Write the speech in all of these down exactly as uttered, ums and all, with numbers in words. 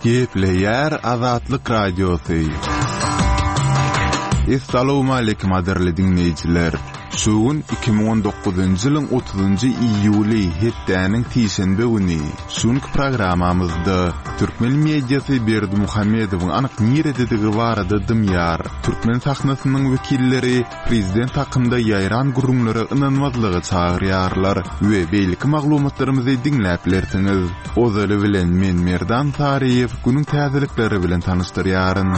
Gepleýär Azatlyk Radiosy. Essalawmaleýkim gadyrly diňleýjiler! Şu gün iki müň on dokuzynjy ýylyň otuzynjy iýuly, hepdäniň sişenbe güni. Şu günki programmamyzda türkmen mediasy Berdimuhamedowyň anyk nirededigi barada dymýar. Türkmen sahnasynyň wekilleri prezident hakynda ýaýran gürrüňlere ynanmazlyga çagyrýarlar we beýleki maglumatlarymyzy diňläp bilersiňiz. Ozaly bilen men Merdan Saryýew günüň täzelikleri bilen tanyşdyrýaryn.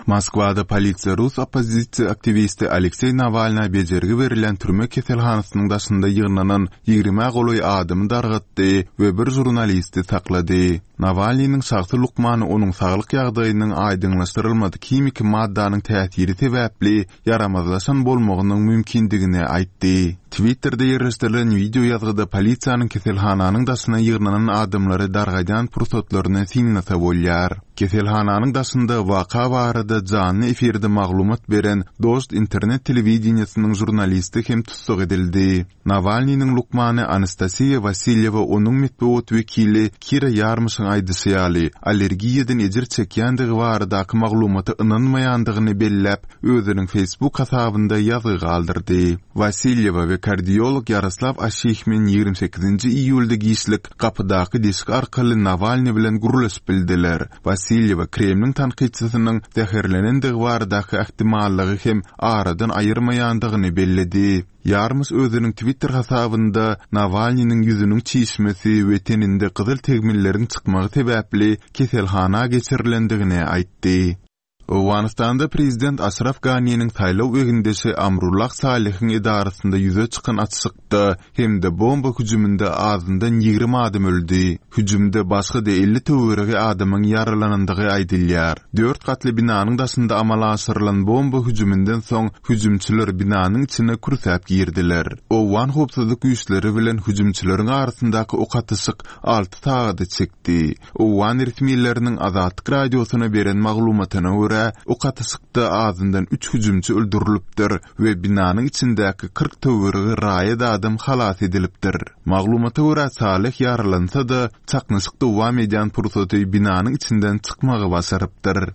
Moskwada polisiýa rus oppozisiýa aktiwisti Alekseý Nawalna bejergi berilýän türme keselhanasynyň daşynda ýygnanan ýigrimä golaý adamy dargatdy we bir žurnalisti saklady. Nawalnynyň şahsy lukmany onuň saglyk ýagdaýynyň aýdyňlaşdyrylmadyk himiki maddanyň täsiri sebäpli ýaramazlaşan bolmagynyň mümkindigini aýtdy. Twitterde ýerleşdirilen wideo ýazgyda polisiýanyň keselhananyň daşyna ýygnanan adamlary dargadýan pursatlaryny synlasa bolýar. Keselhananyň daşynda waka barada janly efirde maglumat beren Dožd internet telewideniýesiniň žurnalisti hem tussag edildi. Nawalnynyň lukmany Anastasiýa Wasilýewa onuň metbugat wekili Kira Ýarmyşyň aýdyşy ýaly, allergiýadan ejir çekýändigi baradaky maglumata ynanmaýandygyny belläp, özüniň Facebook hasabynda ýazgy galdyrdy. Wasilýewa we kardiolog Ýaroslaw Aşihmin ýigrimi sekizinji iýulda giçlik gapydaky deşik arkaly Nawalny bilen gürleşip bildiler. Wasilýewa Kremliň tankytçysynyň zäherlenendigi baradaky ähtimallygy hem aradan aýyrmaýandygyny belledi. Ýarmyş özüniň Twitter hasabynda Nawalnynyň ýüzüniň çişmesi we teninde gyzyl tegmilleriň çykmagy sebäpli keselhana geçirilendigini aýtdy. Owganystanda prezident Aşraf Ganiniň saýlaw egindeşi Amrullah Salihiň edarasynda ýüze çykan açyşykda hem-de bomba hüjüminde azyndan ýigrimi adam öldi. Hüjümde başga-da elli töweregi adamyň ýaralanandygy aýdylýar. Dört gatly binanyň daşynda amala aşyrylan bomba hüjüminden soň hüjümçiler binanyň içine kürsäp girdiler. Owgan howpsuzlyk güýçleri bilen hüjümçileriň arasyndaky ok atyşyk alty sagada çekdi. Owgan resmileriniň Azatlyk radiosyna beren maglumatyna görä, ok atyşykda azyndan üç hüjümçi öldürilipdir we binanyň içindäki kyrk töweregi raýat adam halas edilipdir. Maglumata görä, Salih ýaralansa-da, çaknyşyk dowam edýän pursaty binanyň içinden çykmagy başarypdyr.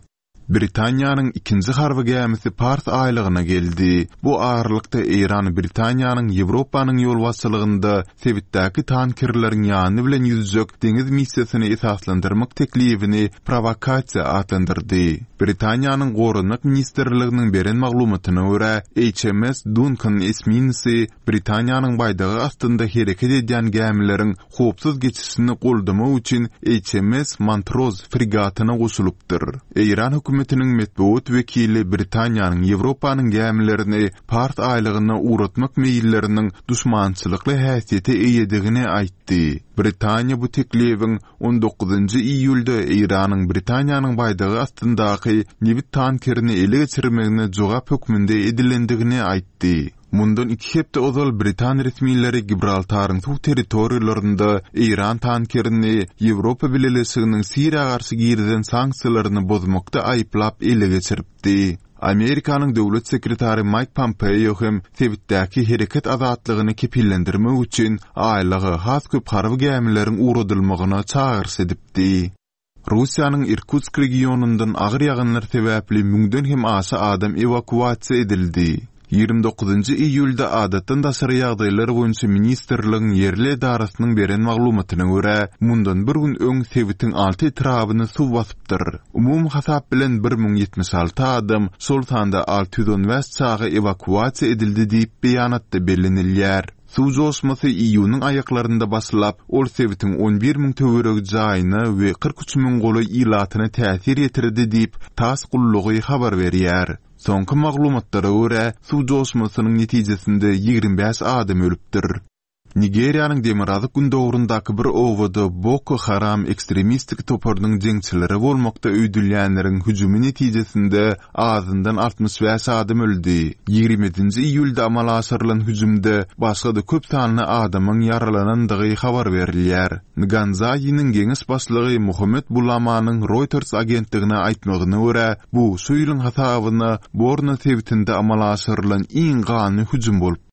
Britaniýanyň ikinji harby gämisi Pars aýlagyna geldi. Bu aralykda Eýran Britaniýanyň Ýewropanyň ýolbaşçylygynda sebitdäki tankerleriň ýany bilen ýüzjek deňiz missiýasyny esaslandyrmak teklibini prowokasiýa atlandyrdy. Britaniýanyň Goranmak ministrliginiň beren maglumatyna görä, H M S Duncan esminisi Britaniýanyň baýdagy astynda hereket edýän gämileriň howpsuz geçişini goldamak üçin H M S Montrose fregatyna goşulypdyr. Eýran hökümetiniň metbugat wekili Britaniýanyň Ýewropanyň gämilerini Pars aýlagyna ugratmak meýilleriniň duşmançylykly häsiýete eýedigini aýtdy. Britaniýa bu teklibiň on dokuzynjy iýulda Eýranyň Britaniýanyň baýdagy astyndaky nebit tankerini ele geçirmegine jogap hökmünde edilendigini aýtdy. Mundan iki hepde ozal Britan resmileri Gibraltaryň suw territoriýalarynda Eýran tankerini Ýewropa Bileleşiginiň Siriýa garşy girizen sanksiýalaryny bozmakda aýyplap ele geçiripdi. Amerikanyň döwlet sekretary Mike Pompeo hem sebitdäki hereket azatlygyny kepillendirmek üçin aýlaga has köp harby gämileriň ugradylmagyna çagyryş edipdi. Russiýanyň Irkutsk regionyndan agyr ýagynlar sebäpli müňden hem aşa adam ewakuasiýa edildi. Ýigrimi dokuzynjy iýulda adatdan daşary ýagdaýlar boýunça ministrligiň ýerli edarasynyň beren maglumatyna görä, mundan bir gün öň sebitiň alty etrabyny suw basypdyr. Umumy hasap bilen bir müň ýetmiş alty adam, şol sanda alty ýüz on bäş çaga ewakuasiýa edildi diýip beýanatda bellenilýär. Suw joşmasy iýunyň aýaklarynda başlap, ol sebitiň on bir müň töweregi jaýyna we kyrk üç müň golaý ilatyna täsir ýetirdi diýip, TASS gullugy habar berýär. Soňky maglumatlara görä, suw joşmasynyň netijesinde ýigrimi bäş adam ölüpdir. Nigeriýanyň demirgazyk gündogrundaky bir obada Boko Haram ekstremistik toparynyň jeňçileri bolmakda öýdülýänleriň hüjümi netijesinde azyndan altmyş bäş adam öldi. Ýigrimi ýedinji iýulda amala aşyrylan hüjümde başga-da köp sanly adamyň ýaralanandygy habar berilýär. Nganzaýiniň geňeş başlygy Muhammed Bulamanyň Reuters agentligine aýtmagyna görä, bu şu ýylyň hasabyna Borno sebitinde amala aşyrylan iň ganly hüjüm bolupdyr.